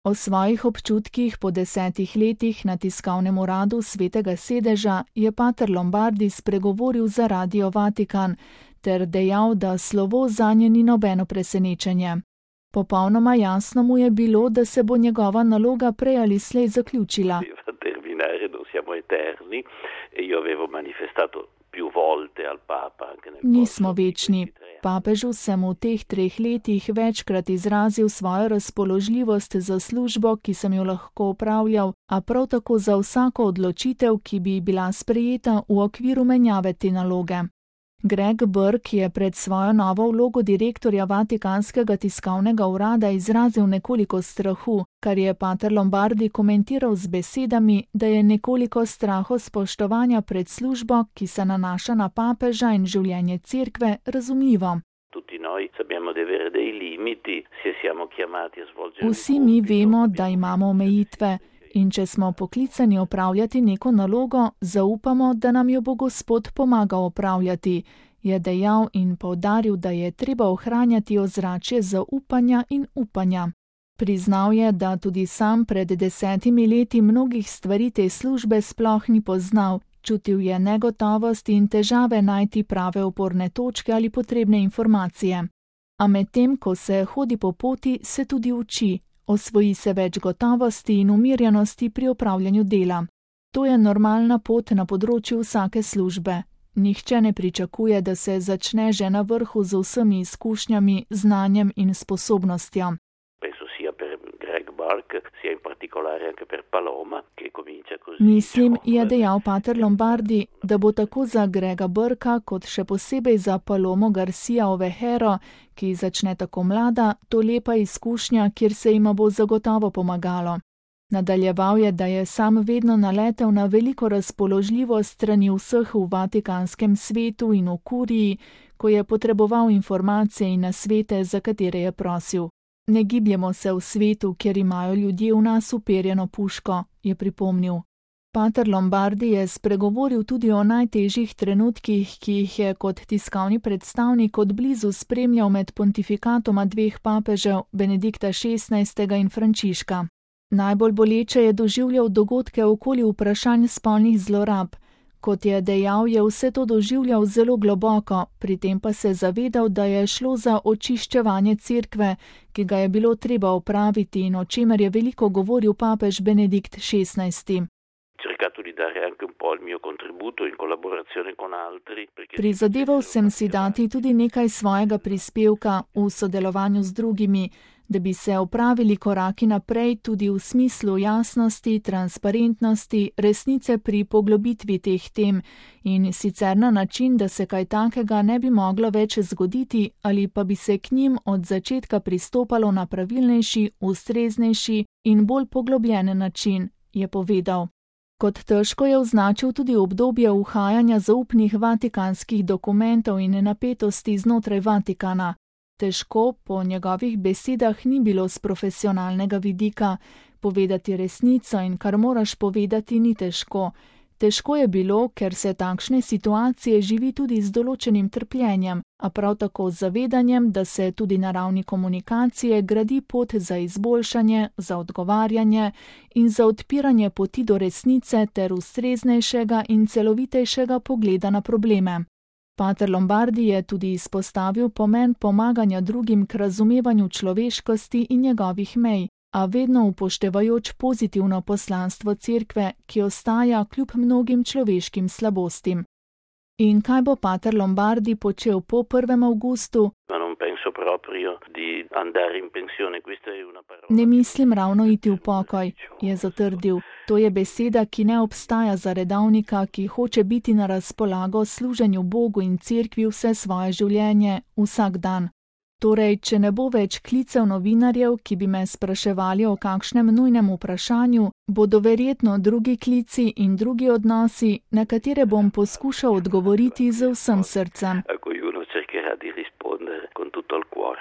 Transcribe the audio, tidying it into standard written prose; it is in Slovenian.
O svojih občutkih po 10 letih na tiskovnem uradu Svetega sedeža je pater Lombardi spregovoril za Radio Vatikan ter dejal, da slovo zanje ni nobeno presenečenje. Popolnoma jasno mu je bilo, da se bo njegova naloga prej ali slej zaključila. Nismo večni. Papežu sem v teh 3 letih večkrat izrazil svojo razpoložljivost za službo, ki sem jo lahko opravljal, a prav tako za vsako odločitev, ki bi bila sprejeta v okviru menjave te naloge. Greg Burke je pred svojo novo vlogo direktorja Vatikanskega tiskovnega urada izrazil nekoliko strahu, kar je pater Lombardi komentiral z besedami, da je nekoliko strahospoštovanja pred službo, ki se nanaša na papeža in življenje cerkve, razumljivo. Vsi mi vemo, da imamo omejitve. In če smo poklicani opravljati neko nalogo, zaupamo, da nam jo bo Gospod pomagal opravljati, je dejal in poudaril, da je treba ohranjati ozračje zaupanja in upanja. Priznal je, da tudi sam pred 10 leti mnogih stvari te službe sploh ni poznal, čutil je negotovost in težave najti prave oporne točke ali potrebne informacije. A medtem, ko se hodi po poti, se tudi uči. Osvoji se več gotovosti in umirjenosti pri opravljanju dela. To je normalna pot na področju vsake službe. Nihče ne pričakuje, da se začne že na vrhu z vsemi izkušnjami, znanjem in sposobnostjo. Mislim, je dejal pater Lombardi, da bo tako za Grega Burka kot še posebej za Palomo Garcia Ovejero, ki začne tako mlada, to lepa izkušnja, kjer se jima bo zagotovo pomagalo. Nadaljeval je, da je sam vedno naletel na veliko razpoložljivost strani vseh v Vatikanskem svetu in v kuriji, ko je potreboval informacije in nasvete, za katere je prosil. Ne gibljemo se v svetu, kjer imajo ljudje v nas uperjeno puško, je pripomnil. Pater Lombardi je spregovoril tudi o najtežjih trenutkih, ki jih je kot tiskovni predstavnik od blizu spremljal med pontifikatoma 2 papežev, Benedikta XVI. In Frančiška. Najbolj boleče je doživljal dogodke okoli vprašanj spolnih zlorab. Kot je dejal, je vse to doživljal zelo globoko, pri tem pa se zavedal, da je šlo za očiščevanje cerkve, ki ga je bilo treba opraviti in o čemer je veliko govoril papež Benedikt XVI. Prizadeval sem si dati tudi nekaj svojega prispevka v sodelovanju z drugimi, da bi se opravili koraki naprej tudi v smislu jasnosti, transparentnosti, resnice pri poglobitvi teh tem in sicer na način, da se kaj takega ne bi moglo več zgoditi ali pa bi se k njim od začetka pristopalo na pravilnejši, ustreznejši in bolj poglobljen način, je povedal. Kot težko je označil tudi obdobje uhajanja zaupnih vatikanskih dokumentov in napetosti znotraj Vatikana. Težko, po njegovih besedah, ni bilo z profesionalnega vidika. Povedati resnico in kar moraš povedati ni težko. Težko je bilo, ker se takšne situacije živi tudi z določenim trpljenjem, a prav tako z zavedanjem, da se tudi na ravni komunikacije gradi pot za izboljšanje, za odgovarjanje in za odpiranje poti do resnice ter ustreznejšega in celovitejšega pogleda na probleme. Pater Lombardi je tudi izpostavil pomen pomaganja drugim k razumevanju človeškosti in njegovih mej, a vedno upoštevajoč pozitivno poslanstvo cerkve, ki ostaja kljub mnogim človeškim slabostim. In kaj bo pater Lombardi počel po 1. avgustu? Ne mislim ravno iti v pokoj, je zatrdil. To je beseda, ki ne obstaja za redovnika, ki hoče biti na razpolago služenju Bogu in cerkvi vse svoje življenje, vsak dan. Torej, če ne bo več klicev novinarjev, ki bi me spraševali o kakšnem nujnem vprašanju, bodo verjetno drugi klici in drugi odnosi, na katere bom poskušal odgovoriti z vsem srcem.